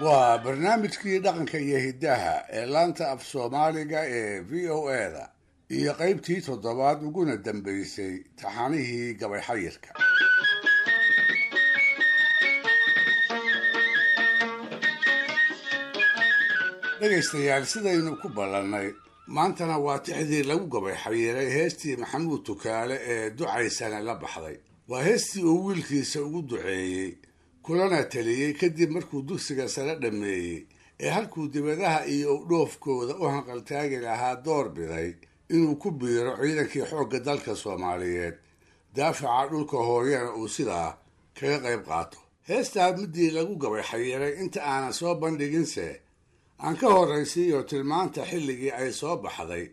Waa barnaamijkii dhaqanka iyo hiddaha ee laanta af Soomaaliga ee VOA-da iyo qaybtii toddobaad uguna dambaysay taxanihii gabay xayirka. Dhegaystayaal, sidaynu ku ballannay, maantana waa tixdii lagu gabay xayiiray heestii Maxamuud Tukaale ee ducaysana la baxday. Waa heestii uu wiilkiisa ugu duceeyey kulana taliyey kadib markuu dugsiga sare dhammeeyey ee halkuu dibadaha iyo udhoofkooda u hanqaltaagi lahaa door biday inuu ku biiro ciidankii xoogga dalka Soomaaliyeed, daafaca dhulka hooyana uu sidaa kaga qayb qaato. Heestaa middii lagu gabay xayiiray inta aanan soo bandhiginse aan ka horraysiiyo tilmaanta xilligii ay soo baxday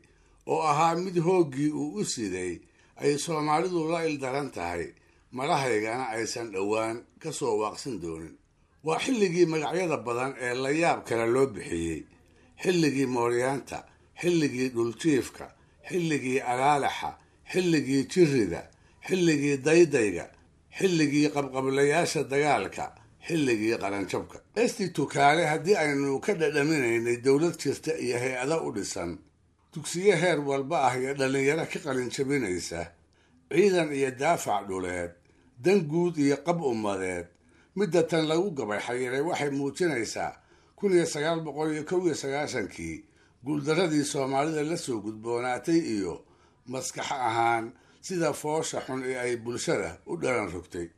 oo ahaa mid hooggii uu u siday ay Soomaalidu la ildaran tahay, madahaygana aysan dhowaan ka soo waaqsan doonin. Waa xilligii magacyada badan ee layaab kale loo bixiyey, xilligii mooryaanta, xilligii dhuljiifka, xilligii alaalaxa, xilligii jirrida, xilligii daydayga, xilligii qabqablayaasha dagaalka, xilligii qaranjabka. Heestii Tukaale haddii aynu ka dhadhaminaynay dowlad jirta iyo hay-ado u dhisan, dugsiyo heer walba ah iyo dhallinyaro ka qalinjabinaysa, ciidan iyo daafac dhuleed, dan guud iyo qab ummadeed, midda tan lagu gabay xayiray waxay muujinaysaa 1991-kii guuldarradii Soomaalida la soo gudboonaatay iyo maskax ahaan sida foosha xun ee ay bulshada u dhalan rogtay.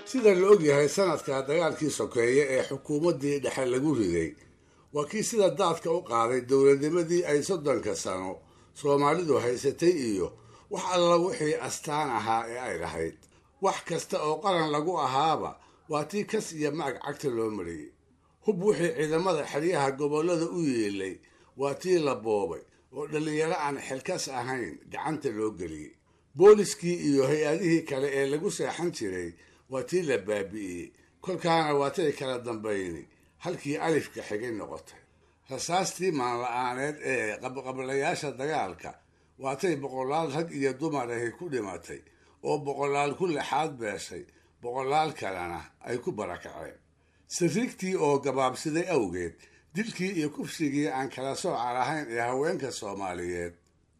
Sida la ogyahay, sanadka dagaalkii sokeeye ee xukuumaddii dhexe lagu riday waa kii sida daadka u qaaday dowladnimadii ay 30-ka sano Soomaalidu haysatay iyo wax alla wixii astaan ahaa ee ay lahayd. Wax kasta oo qaran lagu ahaaba waa tii kas iyo macag cagta loo mariyey. Hub wixii ciidamada xeryaha gobollada u yeelay waa tii la boobay oo dhallinyaro aan xilkas ahayn gacanta loo geliyey. Booliskii iyo hay-adihii kale ee lagu seexan jiray waa tii la baabi'iyey, kolkaana waa tay kala dambayni halkii alifka xigay noqotay. Rasaastii maanla-aaneed ee qabqablayaasha dagaalka waatay boqolaal rag iyo dumar ahi ku dhimatay oo boqolaal ku lixaad beeshay, boqolaal kalena ay ku barakaceen. Sariigtii oo gabaabsiday awgeed, dilkii iyo kufsigii aan kala sooca lahayn ee haweenka Soomaaliyeed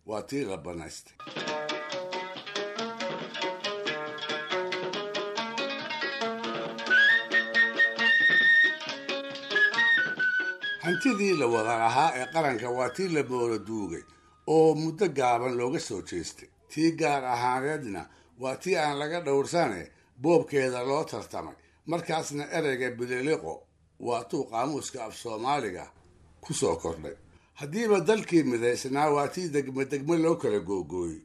waa tii la bannaystay. Hantidii la wada lahaa ee qaranka waa tii la moolo duugay oo muddo gaaban looga soo jeestay. Tii gaar ahaaneedna waa tii aan laga dhowrsane boobkeeda loo tartamay, markaasna ereyga bililiqo waa tuu qaamuuska af Soomaaliga ku soo kordhay. Haddiiba dalkii midaysnaa waa tii degme degme loo kala googooyey.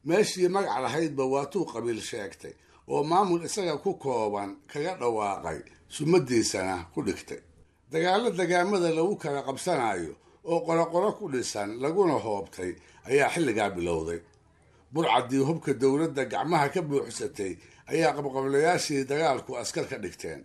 Meeshii magac lahaydba waa tuu qabiil sheegtay oo maamul isaga ku kooban kaga dhawaaqay, sumadiisana ku dhigtay. Dagaallo dagaamada lagu kala qabsanayo oo qoroqoro ku dhisan laguna hoobtay ayaa xilligaa bilowday. Burcaddii hubka dowladda gacmaha ka buuxsatay ayaa qabqablayaashii dagaalku askar ka dhigteen.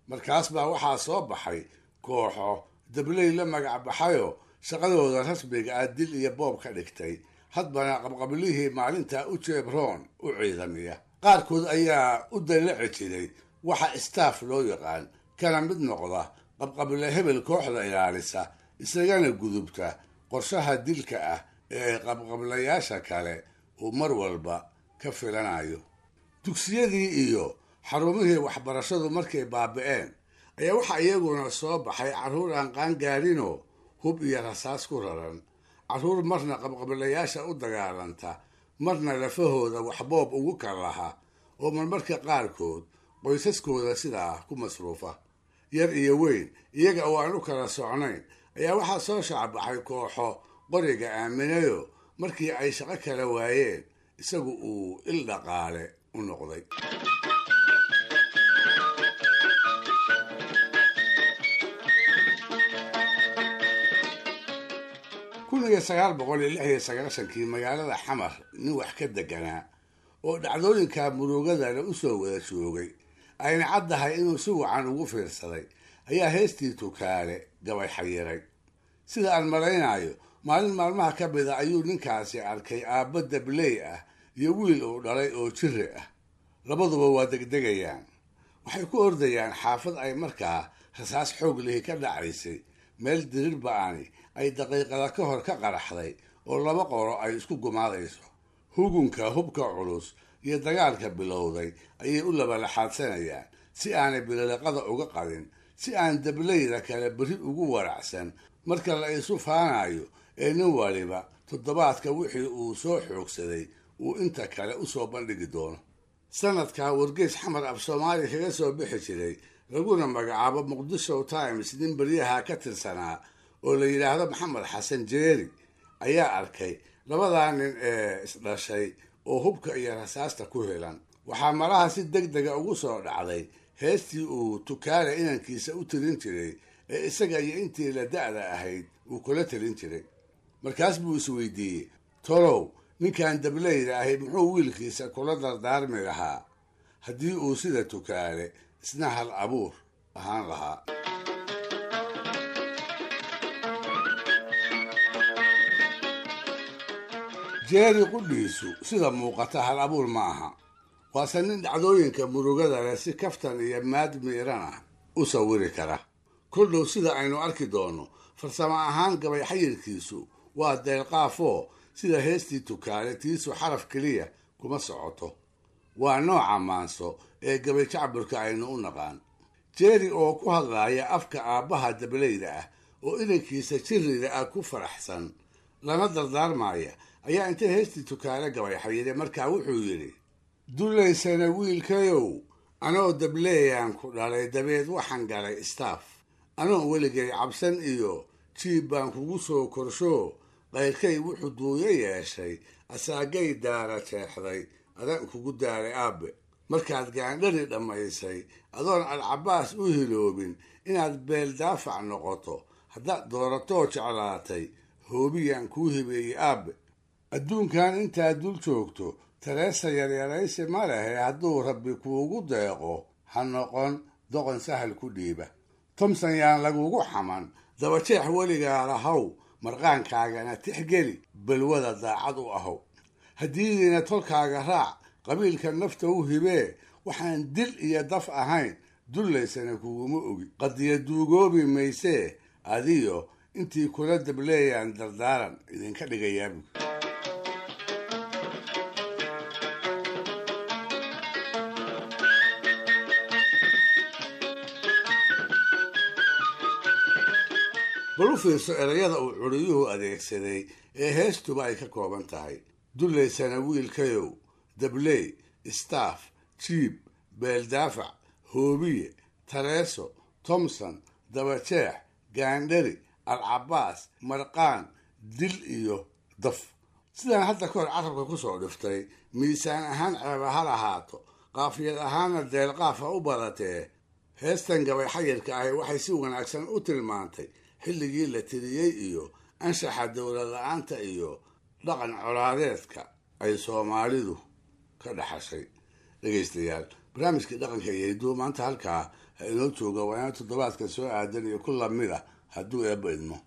Markaas baa waxaa soo baxay kooxo dabley la magac baxayoo shaqadooda rasmiga ah dil iyo boob ka dhigtay, hadbana qabqablihii maalintaa u jeebroon u ciidamiya. Qaarkood ayaa u dallaci jiray waxa istaaf loo yaqaan, kana mid noqda qabqable hebel kooxda ilaalisa, isagana gudubta qorshaha dilka ah ee qabqablayaasha kale uu mar walba ka filanayo. Dugsiyadii iyo xarumihii waxbarashadu markay baabi'een ayaa waxaa iyaguna soo baxay carruur aan qaangaarinoo hub iyo rasaas ku raran, carruur marna qabqablayaasha u dagaalanta, marna lafahooda waxboob ugu kalaha oo marmarka qaarkood qoysaskooda sidaa ku masruufa. Yar iyo weyn iyaga oo aan u kala socnayn ayaa waxaa soo shacbaxay kooxo qoriga aaminayo markii ay shaqo kala waayeen isagu uu il dhaqaale u noqday. 1996-kii magaalada Xamar nin wax ka deganaa oo dhacdooyinka murugadana u soo wada joogay ayna caddahay inuu si wacan ugu fiirsaday ayaa heestii Tukaale gabay xayiray. Sida aan malaynayo, Maalin maalmaha ka mida ayuu ninkaasi arkay aabba dabley ah iyo wiil uu dhalay oo jiri ah. Labaduba waa degdegayaan, waxay ku ordayaan xaafad ay markaa rasaas xoog lihi ka dhacaysay, meel dirir ba-ani ay daqiiqada ka hor ka qaraxday oo laba qoro ay isku gumaadayso. Hugunka hubka culus iyo dagaalka bilowday ayay u labalaxaadsanayaan si aanay bililiqada uga qadin, si aan dableyda kale berri ugu waracsan marka la isu faanayo ee nin waliba toddobaadka wixii uu soo xoogsaday uu inta kale usoo bandhigi doono. Sanadkaa wargeys Xamar af Soomaaliya kaga soo bixi jiray, laguna magacaabo Muqdisho Times, nin beryaha ka tirsanaa oo la yidhaahdo Maxamed Xasan Jeeri ayaa arkay labadaa nin ee isdhashay oo hubka iyo rasaasta ku helan. Waxaa malaha si deg dega ugu soo dhacday heestii uu Tukaale inankiisa u tirin jiray ee isaga iyo intii la da-da ahayd uu kula telin jiray. Markaas buu isweydiiyey, tolow ninkan dableyda ahi muxuu wiilkiisa kula dardaarmi lahaa haddii uu sida Tukaale isna hal abuur ahaan lahaa? Jeeri qudhiisu sida muuqata hal abuur ma aha, waase nin dhacdooyinka murugada leh si kaftan iyo maad miiran ah u sawiri kara. Koldhow sida aynu arki doonno, farsamo ahaan gabay xayirkiisu waa deelqaafoo sida heestii Tukaale tiisu xaraf keliya kuma socoto. Waa nooca maanso ee gabay jacburka aynu u naqaan. Jeeri oo ku hadlaaya afka aabbaha dableyda ah oo inankiisa jirrida ah ku faraxsan lana dardaarmaya ayaa inta heestii Tukaale gabay xayiray markaa wuxuu yidhi: Dulaysana wiilkayow, anoo dableeyaan ku dhalay, dabeed waxaan galay istaaf, anoon weligay cabsan iyo jiib baan kugu soo korshoo, qayrkay wuxuu duuyo yeeshay asaagay daara jeexday, adaan kugu daaray aabbe. Markaad gaandhari dhammaysay adoon Alcabaas u hiloobin inaad beel daafac noqoto haddaad dooratoo jeclaatay, hoobiyaan kuu hibeeyey aabbe. Adduunkan intaad dul joogto tareesa yaryaraysi ma lehe, hadduu Rabbi kuugu deeqo ha noqon doqon sahal ku dhiiba. Tomson yaan lagugu xaman, dabajeex weligaa lahow, marqaankaagana tixgeli, balwada daacad u ahow. Haddiidiina tolkaaga raac, qabiilka nafta u hibee, waxaan dil iyo daf ahayn dullaysana kuguma ogi. Qadiya duugoobi maysee, adiyo intii kula dableeyaan dardaaran idinka dhigayaabu. Bal u fiirso erayada uu curiyuhu adeegsaday ee heestuba ay ka kooban tahay: dullaysana wiilkayow, dabley, istaaf, jiib, beeldaafac, hoobiye, tareeso, Tomson, dabajeex, gaandhari, Alcabaas, marqaan, dil iyo daf. Sidaan hadda ka hor carabka ku soo dhiftay, miisaan ahaan ceeba ha lahaato, qaafiyad ahaanna deelqaaf ha u badatee, heestan gabay xayirka ahi waxay si wanaagsan u tilmaantay xilligii la tiriyey iyo anshaxa dowlad la-aanta iyo dhaqan colaadeedka ay Soomaalidu ka dhaxashay. Dhegaystayaal, barnaamijkii dhaqanka iyo hidduu maanta halkaa ha inoo jooga. Waa inaa toddobaadka soo aadan iyo ku lamid ah hadduu Eebba idmo.